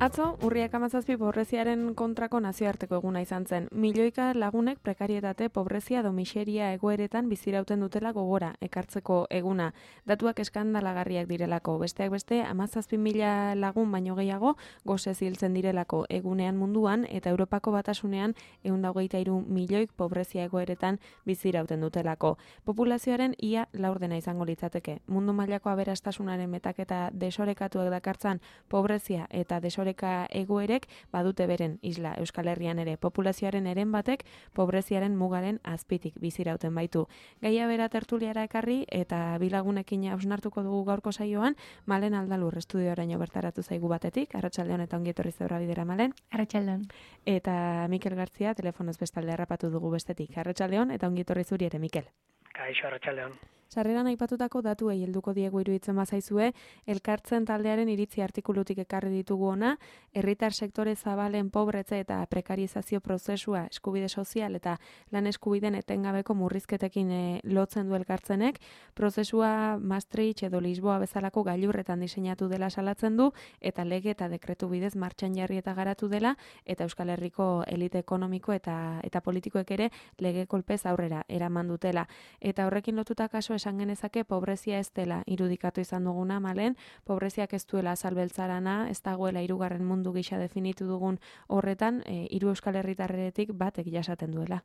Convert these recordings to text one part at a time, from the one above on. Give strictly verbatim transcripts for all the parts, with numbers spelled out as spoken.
Atzo, urriak hamazazpi pobreziaren kontrako nazioarteko eguna izan zen. Milioika lagunek prekarietate, pobrezia edo miseria egoeretan bizirauten dutela gogora ekartzeko eguna. Datuak eskandalagarriak direlako. Besteak beste, hamazazpi mila lagun baino gehiago gosez hiltzen direlako egunean munduan eta Europako Batasunean ehun eta hogeita hiru milioik pobrezia egoeretan bizirauten dutelako. Populazioaren ia laurdena izango litzateke. Mundu mailako aberastasunaren metaketa desorekatuak dakartzan pobrezia eta desoreka egoerek badute beren isla Euskal Herrian ere. Populazioaren eren batek pobreziaren mugaren azpitik bizirauten baitu. Gaia bera tertuliara ekarri eta bilagunekin hausnartuko dugu gaurko saioan. Malen Aldalur estudioraino bertaratu zaigu batetik. Arratsaldeon eta ongi etorri zeura bidera, Malen. Arratsaldeon. Eta Mikel Gartzia telefonoz bestalde harrapatu dugu bestetik. Arratsaldeon eta ongi etorri zuri ere, Mikel. Kaixo, arratsaldeon. Sarreran aipatutako datuei helduko diegu iruditzen bazaizue, elkartzen taldearen iritzi artikulutik ekarri ditugu ona, herritar sektore zabalen pobretze eta prekarizazio prozesua, eskubide sozial eta lan eskubideen etengabeko murrizketekin e, lotzen du elkartzenek, prozesua Maastricht edo Lisboa bezalako gailurretan diseinatu dela salatzen du, eta lege eta dekretu bidez martxan jarri eta garatu dela, eta Euskal Herriko elite ekonomiko eta, eta politikoek ere lege kolpez aurrera eraman dutela. Eta horrekin lotuta kaso esan genezake pobrezia ez dela irudikatu izan duguna, Malen, pobreziak ez duela azalbeltzarana, ez dagoela hirugarren mundu gisa definitu dugun horretan, e, hiru Euskal Herritarretik batek jasaten duela.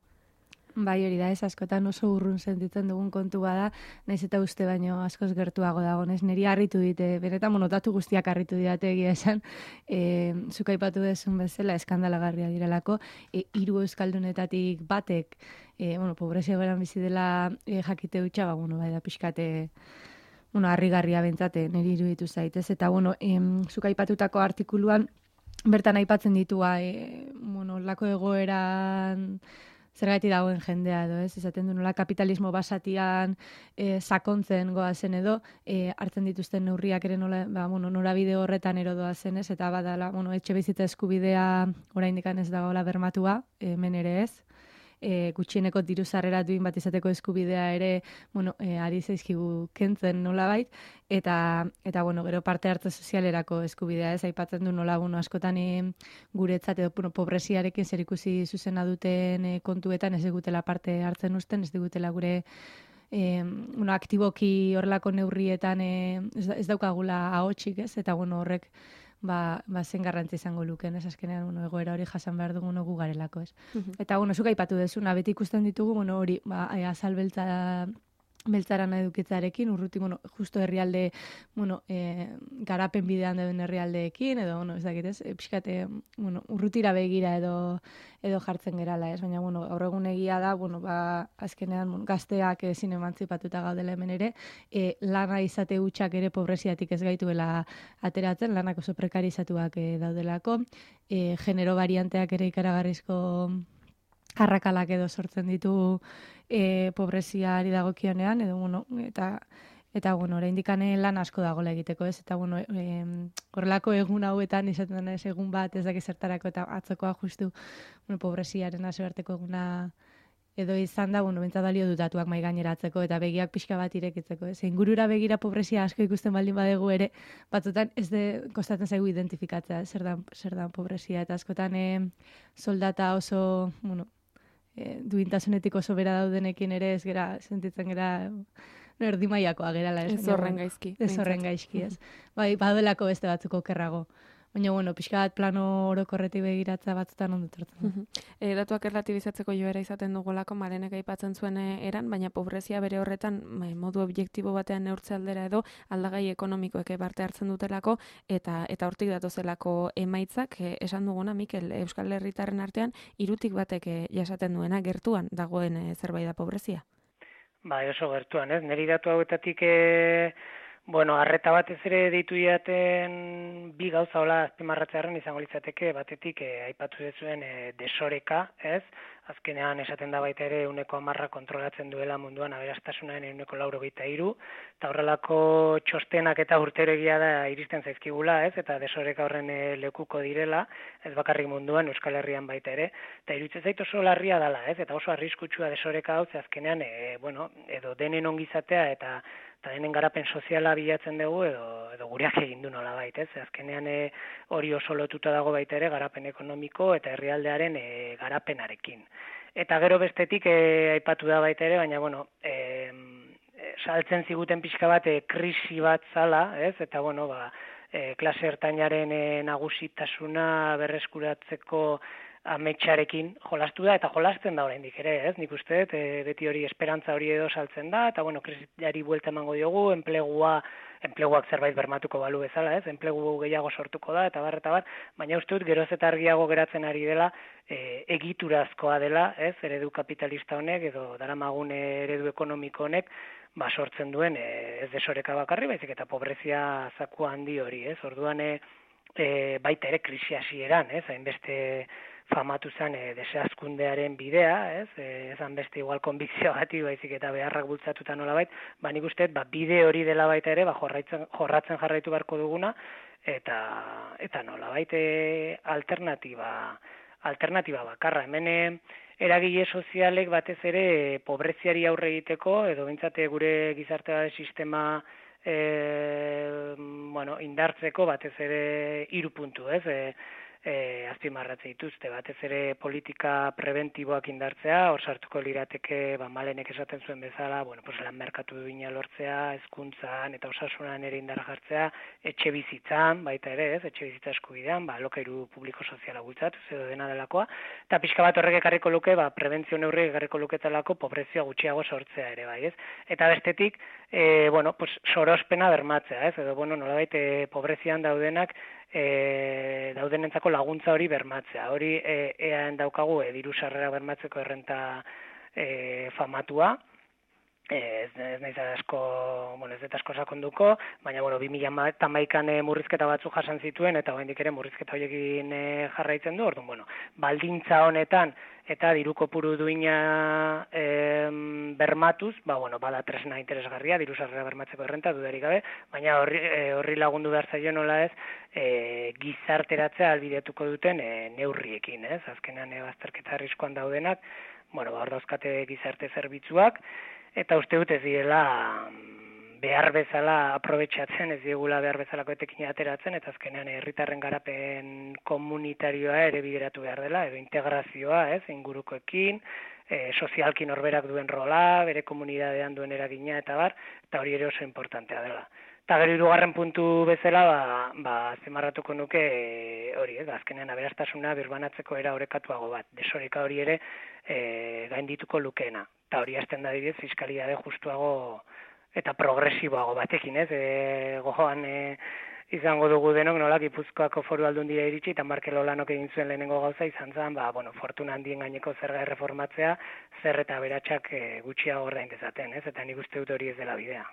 Bai, hori da, ez askotan oso urrun sentitzen dugun kontu bada, naiz eta uste baino askoz gertuago dagonez. Neri harritu dite, benetan monotatu guztiak harritu didate egia esan, e, zuk aipatu dezun bezala eskandalagarria direlako, e, hiru euskaldunetatik batek, e, bueno, pobrezia beran bizi dela e, jakite hutsa, ba, bueno, bai da pixkate, bueno, harrigarria bentzate, neri iruditu zaitez, eta, bueno, em, zuk aipatutako artikuluan, bertan aipatzen ditua, e, bueno, lako egoeran zergaiti dagoen jendea edo, ez? Esaten du nola kapitalismo basatian e, sakontzen goazen edo, e, hartzen dituzten neurriak ere nola, ba, bueno, norabide horretan erodoa zenez, eta badala, bueno, etxe bizitza eskubidea oraindik ez dagoela bermatua, hemen ere ez. E, gutxieneko diru sarrera duin bat izateko eskubidea ere, bueno, e, ari zaizkigu kentzen nolabait, eta, eta bueno, gero parte hartze sozialerako eskubidea ez, aipatzen du nola, bueno, askotan e, guretzat edo, bueno, pobreziarekin zerikusi zuzena duten e, kontuetan ez digutela parte hartzen usten, ez digutela gure e, bueno, aktiboki horrelako neurrietan e, ez, ez daukagula ahotsik ez, eta bueno, horrek ba, ba zen garrantzi izango luken, ez azkenean, bueno, egoera hori jasan behar dugun gu garelako, ez. Uh-huh. Eta, bueno, zuk aipatu dezuna, beti ikusten ditugu, bueno, hori, ba, azal beltza, beltzaran edukitzarekin, urruti, bueno, justo herrialde, bueno, e, garapen bidean dauden herrialdeekin, edo, bueno, ez dakit, ez, e, pixkate, bueno, urrutira begira edo, edo jartzen gerala, ez, baina, bueno, gaur egun egia da, bueno, ba, azkenean, bueno, gazteak ezin emantzipatuta gaudela hemen ere, e, lana izate hutsak ere pobreziatik ez gaituela ateratzen, lanak oso prekarizatuak e, daudelako, e, genero varianteak ere ikaragarrizko arrakalak edo sortzen ditu e, pobreziari dagokionean, edo, bueno, eta, eta, bueno, oraindik lan asko dagoela egiteko, ez, eta, bueno, e, horrelako egun hauetan, izaten ez egun bat, ez daki zertarako, eta atzokoa justu, bueno, pobreziaren nazioarteko eguna edo izan da, bueno, bentsat balio dutatuak mai gaineratzeko, eta begiak pixka bat irekitzeko, ez, ingurura begira pobrezia asko ikusten baldin badegu ere, batzutan ez de kostatzen zaigu identifikatzea, zer dan, zer dan pobrezia, eta askotan e, soldata oso, bueno, E, duintasunetik oso bera daudenekin ere ez gera, sentitzen gera no, erdi mailakoa gerala. Ez, ez horren gaizki. Ez horren gaizki, ez. Bai, baduelako beste batzuko okerrago. Baina, bueno, pixka bat plano orokorretik begiratza batzutan ondo tortzen. E, datuak erlatibizatzeko joera izaten dugulako, Malenek aipatzen zuen eran, baina pobrezia bere horretan modu objektibo batean neurtze aldera edo aldagai ekonomikoek parte hartzen dutelako, eta eta hortik datozelako emaitzak, e, esan duguna, Mikel, Euskal Herritarren artean, hirutik batek e, jasaten duena, gertuan dagoen e, zerbait da pobrezia? Ba, oso gertuan, ez? Neri datu hauetatik e... Bueno, arreta batez ere deitu jaten bi gauza hola azpimarratzearen izango litzateke, batetik eh, aipatu dezuen eh, desoreka, ez? Azkenean esaten da baita ere ehuneko hamarra kontrolatzen duela munduan aberastasunaren ehuneko laurogeita hiru, eta horrelako txostenak eta urtero egia da iristen zaizkigula, ez? Eta desoreka horren e, lekuko direla, ez bakarrik munduan, Euskal Herrian baita ere, eta iruditzen zait oso larria dela, ez? Eta oso arriskutsua desoreka hau, ze azkenean, e, bueno, edo denen ongizatea eta eta denen garapen soziala bilatzen dugu edo, edo gureak egin du nolabait, ez? Azkenean e, hori oso lotuta dago baita ere garapen ekonomiko eta herrialdearen e, garapenarekin. Eta gero bestetik e, aipatu da baita ere, baina bueno, e, saltzen ziguten pixka bat e, krisi bat zala, ez? Eta bueno, ba, e, klase ertainaren e, nagusitasuna berreskuratzeko ametsarekin jolastu da, eta jolasten da oraindik ere, ez? Nik uste dut, e, beti hori esperantza hori edo saltzen da, eta bueno, krisiari buelta emango diogu, enplegua, enpleguak zerbait bermatuko balu bezala, ez? Enplegu gehiago sortuko da, eta bar, eta bar, baina uste dut geroz eta argiago geratzen ari dela, e, egiturazkoa dela, ez? Eredu kapitalista honek, edo daramagun eredu ekonomiko honek, ba, sortzen duen, e, ez desoreka bakarri, baizik eta pobrezia zaku handi hori, ez? Orduan, e, e, baita ere krisi hasieran, ez? Hainbeste famatu zen e, desazkundearen bidea, ez? E, ezan beste igual konbikzio gati, baizik eta beharrak bultzatuta nolabait, ba nik uste, ba, bide hori dela baita ere, ba, jorratzen, jorratzen jarraitu beharko duguna, eta eta nolabait e, alternatiba, alternatiba bakarra. Hemen eragile sozialek batez ere pobreziari aurre egiteko, edo bintzate gure gizarte sistema e, bueno, indartzeko batez ere hiru puntu, ez? E, E, azpimarratze dituzte, batez ere politika preventiboak indartzea, hor sartuko lirateke, ba, Malenek esaten zuen bezala, bueno, pues, lan merkatu duina lortzea, hezkuntzan eta osasunan ere indar jartzea, etxe bizitzan, baita ere, ez, etxe bizitza eskubidean, ba, alokairu publiko soziala bultzatuz edo dena delakoa, eta pixka bat horrek ekarriko luke, ba, prebentzio neurri ekarriko luketalako pobrezia gutxiago sortzea ere, bai, ez? Eta bestetik, e, bueno, pues, sorospena bermatzea, ez? Edo, bueno, nolabait, e, pobrezian daudenak, E, daudenentzako laguntza hori bermatzea. Hori e, eaen daukagu e, diru sarrera bermatzeko errenta e, famatua, e, ez, ez naiz asko, bueno, ez dut asko sakonduko, baina bueno, bi mila hamaikan e, murrizketa batzuk jasan zituen eta oraindik ere murrizketa horiekin e, jarraitzen du. Orduan, bueno, baldintza honetan eta diru kopuru duina e, bermatuz, ba, bueno, bada tresna interesgarria, diru sarrera bermatzeko errenta, dudarik gabe, baina horri, e, horri lagundu behar zaio nola ez, e, gizarteratzea albidetuko duten e, neurriekin, ez? Azkenean e, bazterketa arriskuan daudenak, bueno, ba, hor dauzkate gizarte zerbitzuak, eta uste dut ez direla behar bezala aprobetxatzen, ez diegula behar bezalako etekin ateratzen, eta azkenean herritarren garapen komunitarioa ere bideratu behar dela, edo integrazioa, ez, ingurukoekin, e, sozialki norberak duen rola, bere komunidadean duen eragina, eta bar, eta hori ere oso importantea dela. Eta gero hirugarren puntu bezala, ba, ba zimarratuko nuke e, hori, ez, azkenean aberastasuna birbanatzeko era orekatuago bat, desoreka hori ere e, gaindituko lukeena, eta hori hasten da dibidez fiskalidade justuago eta progresiboago batekin, ez? E, gojoan e, izango dugu denok nola Gipuzkoako Foru Aldundia iritsi eta Markel Olanok egin zuen lehenengo gauza izan zen, ba, bueno, fortuna handien gaineko zerga erreformatzea, zer eta beratxak e, gutxiago ordain dezaten, ez? Eta nik uste dut hori ez dela bidea.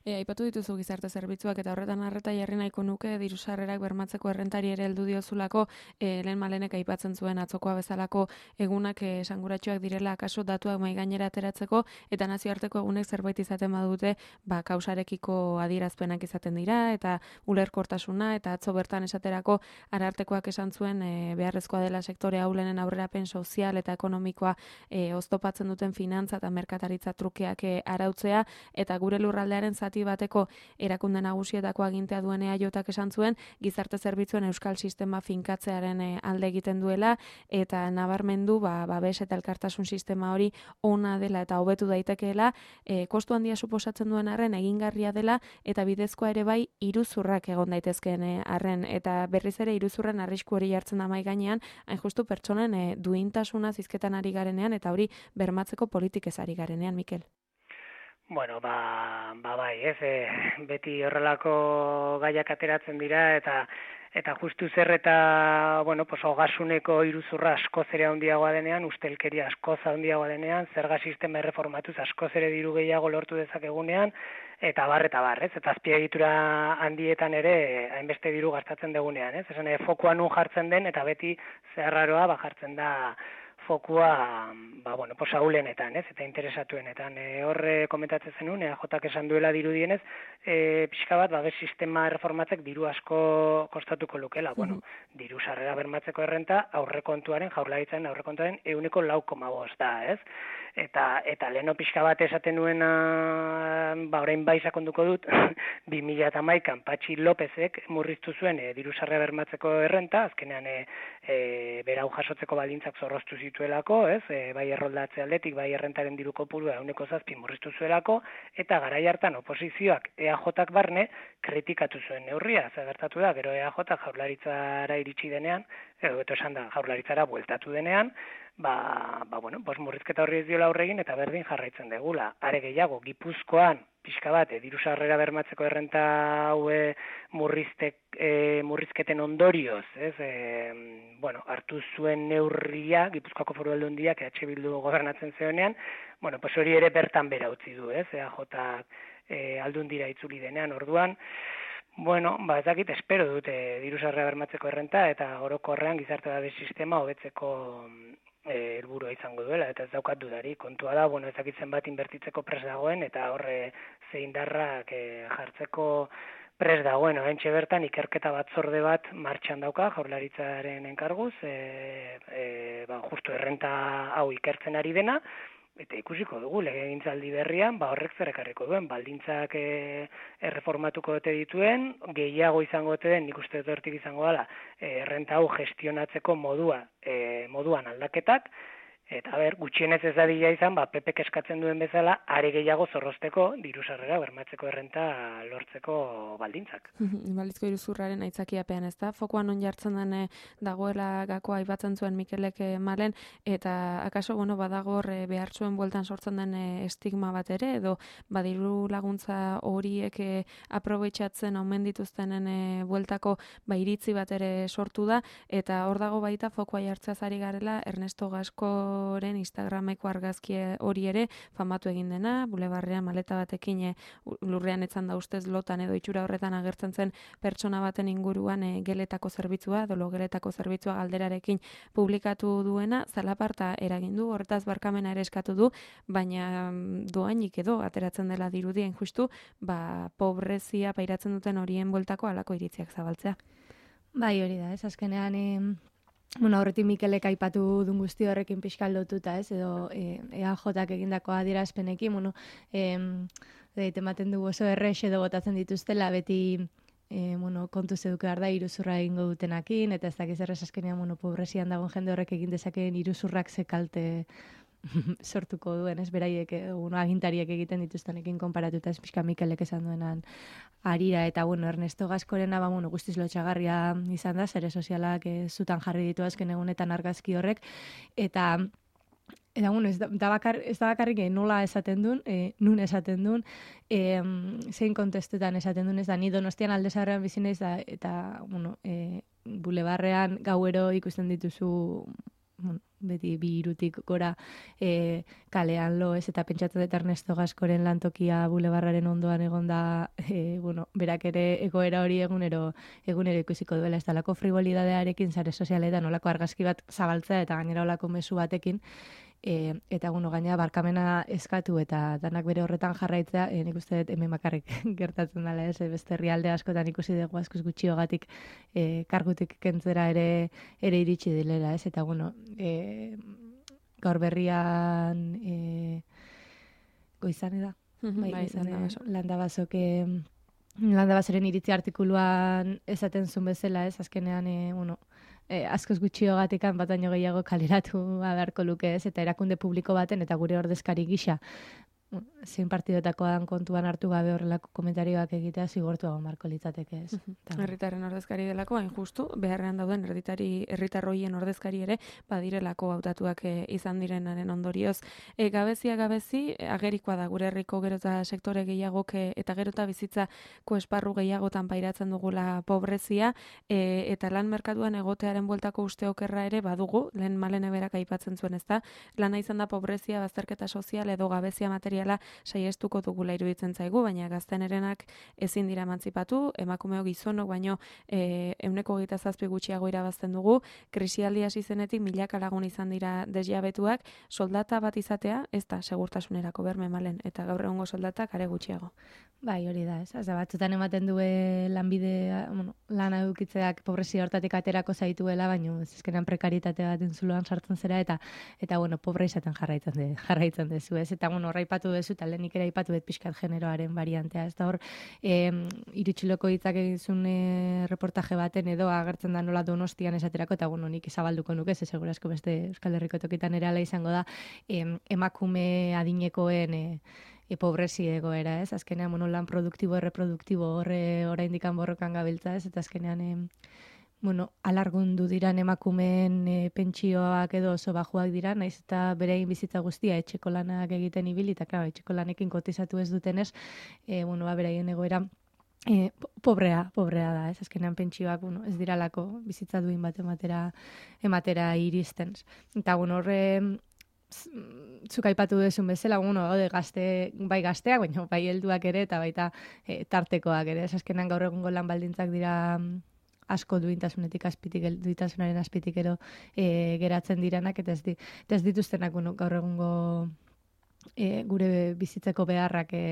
E, aipatu dituzu gizarte zerbitzuak eta horretan arreta jarri nahiko nuke diru sarrerak bermatzeko errentari ere heldu diozulako, e, lehen Malenek aipatzen zuen atzokoa bezalako egunak e, esanguratsuak direla akaso datuak mai gainera ateratzeko eta nazioarteko egunek zerbait izaten badute, ba kausarekiko adierazpenak izaten dira eta ulerkortasuna eta atzo bertan esaterako arartekoak esan zuen e, beharrezkoa dela sektore ahulenen aurrerapen sozial eta ekonomikoa e, oztopatzen duten finantza eta merkataritza trukeak e, arautzea eta gure lurraldearen zati bateko erakunde nagusietako agintea duen E A Jotak esan zuen gizarte zerbitzuen euskal sistema finkatzearen e, alde egiten duela eta nabarmendu ba, babes eta elkartasun sistema hori ona dela eta hobetu daitekeela, e, kostu handia suposatzen duen arren egingarria dela eta bidezkoa ere bai iruzurrak egon daitezkeen e, arren eta berriz ere iruzurren arrisku hori jartzen da mai gainean, hain justu pertsonen e, duintasuna zizketan ari garenean eta hori bermatzeko politikez ari garenean, Mikel. Bueno, ba, ba bai, ez, e, beti horrelako gaiak ateratzen dira eta eta justu zer eta, bueno, pues ogasuneko iruzurra askoz ere handiagoa denean, ustelkeria askoz handiagoa denean, zerga sistema erreformatuz askoz ere diru gehiago lortu dezakegunean, eta bar, eta bar, ez? Eta azpiegitura handietan ere hainbeste diru gastatzen degunean, ez? Esan, fokoa nun jartzen den, eta beti zeharraroa ba jartzen da fokua, ba, bueno, posa ulenetan, ez, eta interesatuenetan. E, horre komentatzen zenun, E A Jak esan duela dirudienez, e, pixka bat, babes sistema reformatzek diru asko kostatuko lukela. Bueno, diru sarrera bermatzeko errenta aurrekontuaren, jaurlaritzaren aurrekontuaren euneko lau koma bost da, ez? Eta, eta leheno pixka bat esaten nuena, ba, orain bai sakonduko dut, bi mila hamaikan Patxi Lopezek murriztu zuen e, diru sarrera bermatzeko errenta, azkenean e, e, berau jasotzeko baldintzak zorroztu zituelako, ez? E, bai erroldatze aldetik, bai errentaren diru kopurua ehuneko zazpi murriztu zuelako, eta garai hartan oposizioak E A Jak barne kritikatu zuen neurria, zer gertatu da, gero E A J jaurlaritzara iritsi denean, edo beto esan da jaurlaritzara bueltatu denean, ba, ba bueno, pues murrizketa horri ez diola aurregin eta berdin jarraitzen degula. Are gehiago, Gipuzkoan, pixka bat, e, diru sarrera bermatzeko errenta haue murriztek, e, murrizketen ondorioz, ez, e, bueno, hartu zuen neurria, Gipuzkoako Foru Aldundiak E H Bildu gobernatzen zeonean, bueno, pues hori ere bertan bera utzi du, ez, E A Jak e, Aldundira itzuli denean, orduan, bueno, ba, ez dakit, espero dute diru sarrera bermatzeko errenta, eta orokorrean gizarte babes sistema hobetzeko helburua izango duela, eta ez daukat dudari. Kontua da, bueno, ezakitzen bat inbertitzeko pres dagoen, eta horre zeindarrak e, jartzeko pres dagoen. Oraintxe bertan ikerketa batzorde bat martxan dauka, jaurlaritzaren enkarguz, e, e, ba, justu errenta hau ikertzen ari dena, eta ikusiko dugu legegintzaldi berrian, ba horrek zer ekarriko duen, baldintzak e, erreformatuko ote dituen, gehiago izango ote den, nik uste dut hortik izango dela, e, errenta hau gestionatzeko modua, e, moduan aldaketak, eta ber, gutxienez ez dadila izan, ba, P Pek eskatzen duen bezala, are gehiago zorrozteko, diru sarrera bermatzeko errenta lortzeko baldintzak. Balizko iruzurraren aitzakiapean, ez da? Fokuan on jartzen den dagoela gakoa aipatzen zuen Mikelek Malen, eta akaso, bueno, badagor behartzuen bueltan sortzen den estigma bat ere, edo badiru laguntza horiek aprobetxatzen omen dituztenen bueltako ba, iritzi bat ere sortu da, eta hor dago baita fokua jartzeaz ari garela Ernesto Gasko Oren Instagrameko argazki hori ere famatu egin dena, bulebarrean maleta batekin lurrean etzan da ustez lotan edo itxura horretan agertzen zen pertsona baten inguruan e, geletako zerbitzua, dolo geletako zerbitzua galderarekin publikatu duena, zalaparta eragin du, horretaz barkamena ere eskatu du, baina doainik edo ateratzen dela dirudien justu, ba, pobrezia pairatzen duten horien bueltako halako iritziak zabaltzea. Bai, hori da, ez azkenean... E... Bueno, horretik Mikelek aipatu dun guzti horrekin pixkal lotuta, ez, edo e, E A Jak egindako adierazpenekin, bueno, e, ematen du oso errex edo botatzen dituztela, beti e, bueno, kontu zeduke behar da iruzurra egingo dutenakin, eta ez dakiz errez azkenean, bueno, pobrezian dagoen jende horrek egin dezakeen iruzurrak ze kalte sortuko duen, ez beraiek, bueno, agintariek egiten dituztenekin konparatuta, ez pixka Mikelek esan duenan arira, eta bueno, Ernesto Gaskorena, ba, bueno, guztiz lotxagarria izan da, zere sozialak e, zutan jarri ditu azken egunetan argazki horrek, eta eta bueno, ez da, da bakar, ez da bakarrik nola esaten duen, e, nun esaten duen, e, zein kontestutan esaten duen, ez da, ni Donostian Alde Zaharrean bizi naiz da, eta, bueno, e, bulebarrean gauero ikusten dituzu, bueno, beti bi irutik gora e, kalean lo, ez, eta pentsatzen dut Ernesto Gaskoren lantokia bulebarraren ondoan egonda, e, bueno, berak ere egoera hori egunero egunero ikusiko duela, ez dalako frivolidadearekin sare sozialetan olako argazki bat zabaltzea eta gainera olako mezu batekin, e, eta bueno, gaina barkamena eskatu eta danak bere horretan jarraitzea, e, nik uste dut hemen bakarrik gertatzen dela, ez, beste herrialde askotan ikusi dugu askoz gutxiogatik e, kargutik kentzera ere ere iritsi dilera, ez, eta bueno, e, gaur berrian e, goizan da, bai, bai, landabazok landabazoren iritzi artikuluan esaten zuen bezala, ez, azkenean, e, bueno, E, askoz gutxiogatik bataino gehiago kaleratu beharko luke, ez, eta erakunde publiko baten eta gure ordezkari gisa zein partidotakoan kontuan hartu gabe horrelako komentarioak egitea zigortu egon marko litzateke, ez. Herritarren ordezkari delako, hain justu, beharrean dauden herritari herritarroien ordezkari ere badirelako hautatuak e, izan direnaren ondorioz. E, gabezia gabezi, agerikoa da gure herriko gero eta sektore gehiagok e, eta gero eta bizitzako esparru gehiagotan pairatzen dugula pobrezia, e, eta lan merkatuan egotearen bueltako uste okerra ere badugu, lehen Malene berak aipatzen zuen, ezta, lana izan da pobrezia, bazterketa sozial edo gabezia material industriala saiestuko dugula iruditzen zaigu, baina gaztenerenak ezin dira emantzipatu, emakumeo gizonok baino e, euneko hogeita zazpi gutxiago irabazten dugu, krisialdi hasi zenetik milaka lagun izan dira desjabetuak, soldata bat izatea ez da segurtasunerako berme malen, eta gaur egungo soldatak are gutxiago. Bai, hori da, ez. Az, batzutan ematen due lanbide, bueno, lana edukitzeak pobrezia hortatik aterako zaituela, baina ez ezkenan prekaritate bat entzuloan sartzen zera, eta, eta bueno, pobre izaten jarraitzen, de, jarraitzen dezu, ez. Eta, bueno, horra ipatu dezu, eta lehenik ere ipatu bet pixkat generoaren variantea, ez da hor, e, irutxiloko hitzak egizun e, reportaje baten edo agertzen da nola Donostian esaterako, eta, bueno, nik zabalduko nuke, ze segurazko beste Euskal Herriko tokitan ere ala izango da, e, emakume adinekoen e, e pobrezi egoera, ez? Azkenean, bueno, lan produktibo, erreproduktibo horre oraindikan borrokan gabiltza, ez? Eta azkenean, e, bueno, alargundu diran emakumeen e, pentsioak edo oso bajuak dira, naiz eta berein bizitza guztia etxeko lanak egiten ibili, eta, klaro, etxeko lanekin kotizatu ez dutenez, e, bueno, ba, beraien egoera E, pobrea, pobrea da, ez? Azkenean pentsioak, bueno, ez diralako bizitza duin bat ematera, ematera iristen. Eta, bueno, horre, zuk aipatu duzun bezala, bueno, gaude gazte, bai gazteak, baina bai helduak ere, eta baita e, tartekoak ere. Ez azkenean gaur egungo lan baldintzak dira asko duintasunetik azpitik, duintasunaren azpitik ero e, geratzen diranak, eta ez, di, eta ez dituztenak, bueno, gaur egungo e, gure bizitzeko beharrak e,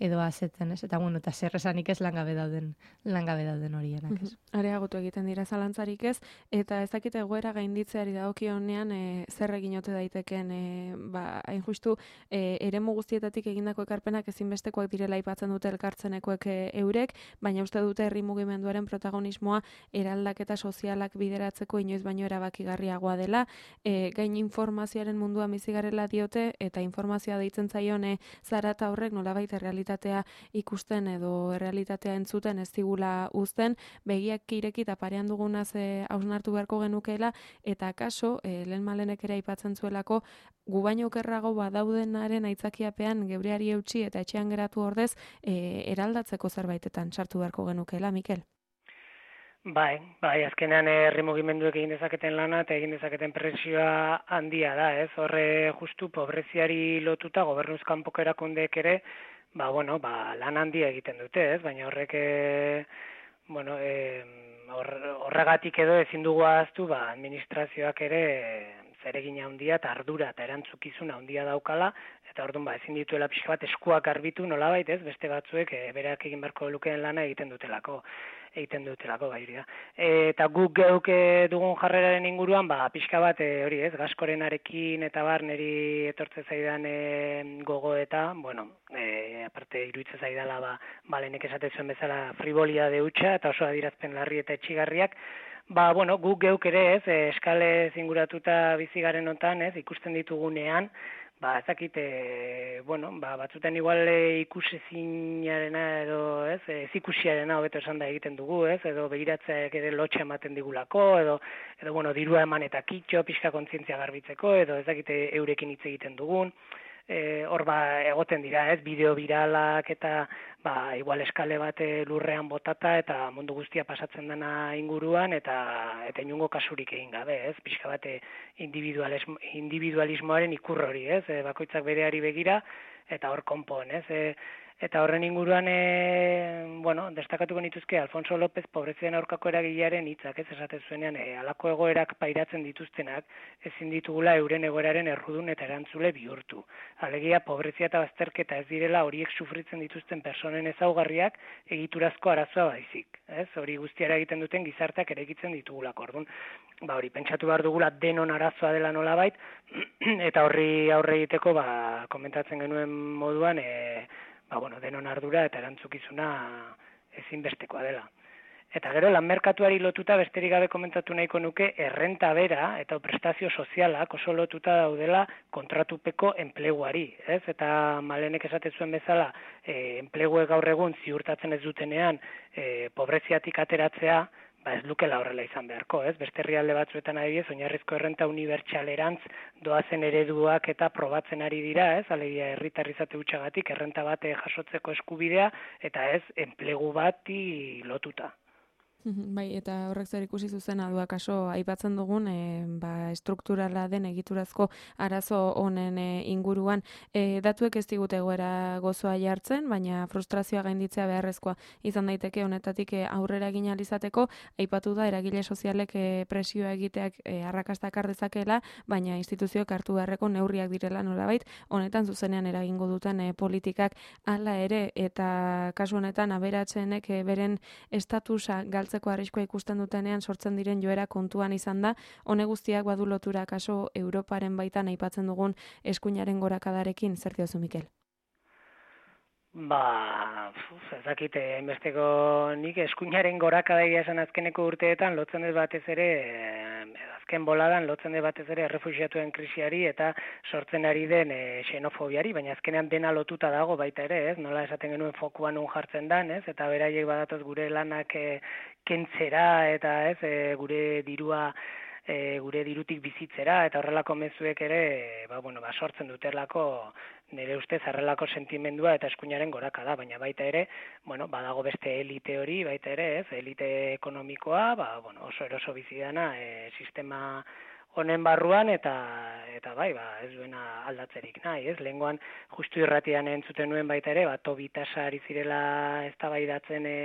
edo azetzen, ez? Eta, bueno, eta zer esanik ez langabe dauden, langabe dauden horienak, ez? Areagotu egiten dira zalantzarik ez, eta ezakite egoera gainditzeari dagokionean e, zer egin ote daiteken, e, ba, hain justu, e, eremu guztietatik egindako ekarpenak ezinbestekoak direla aipatzen dute elkartzenekoek e, eurek, baina uste dute herri mugimenduaren protagonismoa eraldaketa sozialak bideratzeko inoiz baino erabakigarriagoa dela, e, gain informazioaren mundua bizigarela diote, eta informazioa deitzen zaione zarata horrek nolabait errealitatea ikusten edo errealitatea entzuten ez digula uzten, begiak ireki eta parean dugunaz e, hausnartu beharko genukeela, eta kaso, e, lehen malenek ere aipatzen zuelako, gu baino okerrago badaudenaren aitzakiapean gebreari eutsi eta etxean geratu ordez, e, eraldatzeko zerbaitetan sartu beharko genukeela, Mikel? Bai, bai, azkenean herri mugimenduek egin dezaketen lana eta egin dezaketen presioa handia da, ez? Horre justu pobreziari lotuta gobernuz kanpoko erakundeek ere, ba, bueno, ba, lan handia egiten dute, ez? Baina horrek, e, bueno, e, horregatik edo ezin dugu ahaztu, ba, administrazioak ere zeregina handia eta ardura eta erantzukizuna handia daukala, eta orduan ba, ezin dituela pixka bat eskuak garbitu nolabait, ez? Beste batzuek e, berak egin beharko lukeen lana egiten dutelako. egiten dutelako gairi da. E, eta guk geuk dugun jarreraren inguruan, ba, pixka bat e, hori ez, gaskorenarekin eta bar neri etortze zaidan e, gogo eta, bueno, e, aparte iruitze zaidala, ba, balenek esate zuen bezala frivolia de hutsa eta oso adirazpen larri eta etxigarriak, ba, bueno, guk geuk ere ez, e, eskalez inguratuta bizigaren hontan ez, ikusten ditugunean, ba, ez dakit, e, bueno, ba, batzutan igual e, ikusezinarena edo, ez, ez ikusiarena hobeto esan da egiten dugu, ez, edo begiratzeak ere lotxa ematen digulako, edo, edo, bueno, dirua eman eta kitxo, pixka kontzientzia garbitzeko, edo ez dakit eurekin hitz egiten dugun, e, hor ba, egoten dira, ez, bideo viralak eta, ba, igual eskale bat lurrean botata eta mundu guztia pasatzen dena inguruan eta eta inungo kasurik egin gabe, ez? Pixka bat individualismo, individualismoaren ikur hori, ez? E, bakoitzak bereari begira eta hor konpon, ez? E, eta horren inguruan, e, bueno, destakatuko nituzke Alfonso López pobreziaren aurkako eragilearen hitzak, ez esate zuenean, e, halako egoerak pairatzen dituztenak ezin ditugula euren egoeraren errudun eta erantzule bihurtu. Alegia pobrezia eta bazterketa ez direla horiek sufritzen dituzten personen ezaugarriak egiturazko arazoa baizik, ez? Hori guztiara egiten duten gizarteak eraikitzen ditugulako. Orduan, ba hori pentsatu behar dugula denon arazoa dela nolabait eta horri aurre egiteko, ba komentatzen genuen moduan, e, ba bueno, denon ardura eta erantzukizuna ezinbestekoa dela. Eta gero, lan merkatuari lotuta besterik gabe komentatu nahiko nuke errenta bera eta prestazio sozialak oso lotuta daudela kontratupeko enpleguari, ez? Eta Malenek esate zuen bezala, e, enpleguek gaur egun ziurtatzen ez dutenean e, pobreziatik ateratzea, ba ez lukela horrela izan beharko, ez? Beste herrialde batzuetan adibidez, oinarrizko errenta unibertsalerantz doazen ereduak eta probatzen ari dira, ez? Alegia herritar izate hutsagatik errenta bat jasotzeko eskubidea eta ez enplegu bati lotuta. Bai, eta horrek zer ikusi zuzena du akaso aipatzen dugun e, ba, estrukturala den egiturazko arazo honen e, inguruan. E, datuek ez digute egoera gozoa jartzen, baina frustrazioa gainditzea beharrezkoa izan daiteke honetatik e, aurrera egin ahal izateko. Aipatu da eragile sozialek e, presioa egiteak e, arrakasta ekar dezakeela, baina instituzioek hartu beharreko neurriak direla nolabait, honetan zuzenean eragingo duten e, politikak hala ere, eta kasu honetan aberatsenek e, beren estatusa galtzen arriskua ikusten dutenean sortzen diren joera kontuan izan da, hone guztiak badu lotura kaso Europaren baitan aipatzen dugun eskuinaren gorakadarekin, zer diozu Mikel? Ba, ez dakit, enbesteko nik eskuinaren gorakadaia esan azkeneko urteetan lotzen ez batez ere, azken boladan lotzen ez batez ere errefuxiatuen krisiari eta sortzen ari den e, xenofobiari, baina azkenean dena lotuta dago baita ere, ez? Nola esaten genuen fokuan un jartzen dan, ez? Eta beraiek badatoz gure lanak e, kentzera eta ez e, gure dirua e, gure dirutik bizitzera eta horrelako mezuek ere ba, bueno, ba, sortzen dutelako nire ustez horrelako sentimendua eta eskuinaren goraka da, baina baita ere, bueno, badago beste elite hori, baita ere, ez, elite ekonomikoa, ba, bueno, oso eroso bizidana e, sistema honen barruan eta eta bai, ba, ez duena aldatzerik nahi, ez? Lehengoan justu irratian entzuten nuen baita ere, ba Tobitasa ari zirela eztabaidatzen e,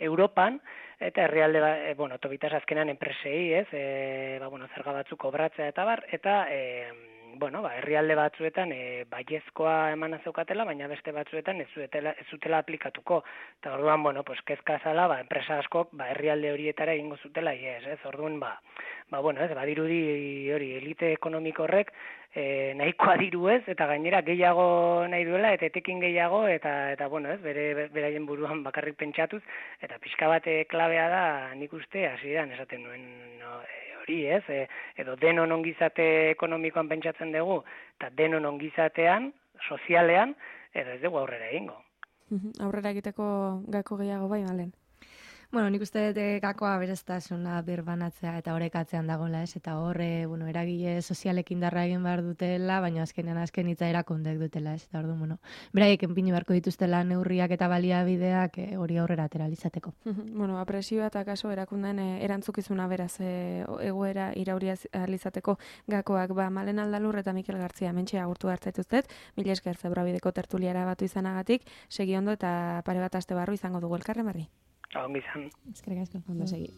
Europan eta herrialde ba, e, bueno, Tobitasa azkenan enpresei, ez? E, ba, bueno, zerga batzuk kobratzea eta bar eta e, bueno, ba, herrialde batzuetan e, baiezkoa emana zeukatela, baina beste batzuetan ez zutela, ez zutela aplikatuko. Eta orduan, bueno, pues kezka zala, ba, enpresa askok ba, herrialde horietara egingo zutela, yes, ez? Orduan, ba, ba, bueno, ez, badirudi hori elite ekonomiko horrek e, nahikoa diru ez, eta gainera gehiago nahi duela, eta etekin gehiago, eta, eta bueno, ez, bere, beraien buruan bakarrik pentsatuz, eta pixka bate klabea da, nik uste, hasieran esaten nuen, no, hori ez, e, edo denon ongizate ekonomikoan pentsatzen dugu, eta denon ongizatean, sozialean, edo ez dugu aurrera egingo. Aurrera egiteko gako gehiago bai, Malen? Bueno, nik uste dut gakoa beraztasuna birbanatzea eta horrekatzean dagoela, ez? Eta horre, bueno, eragile sozialek indarra egin behar dutela, baina azkenean azken hitza erakundek dutela, ez? Eta orduan, bueno, beraiek enpinu beharko dituztela neurriak eta baliabideak e, hori aurrera atera izateko. Bueno, apresioa eta kaso erakunden e, erantzukizuna beraz e, egoera irauria izateko gakoak, ba, Malen Aldalur eta Mikel Gartzia mentxe agurtu hartzaituztet, mila esker Zebrabideko tertuliara batu izanagatik, segi ondo eta pare bat aste barru izango dugu elkarren berri. Ongi izan. Eskerrik asko, ondo segi.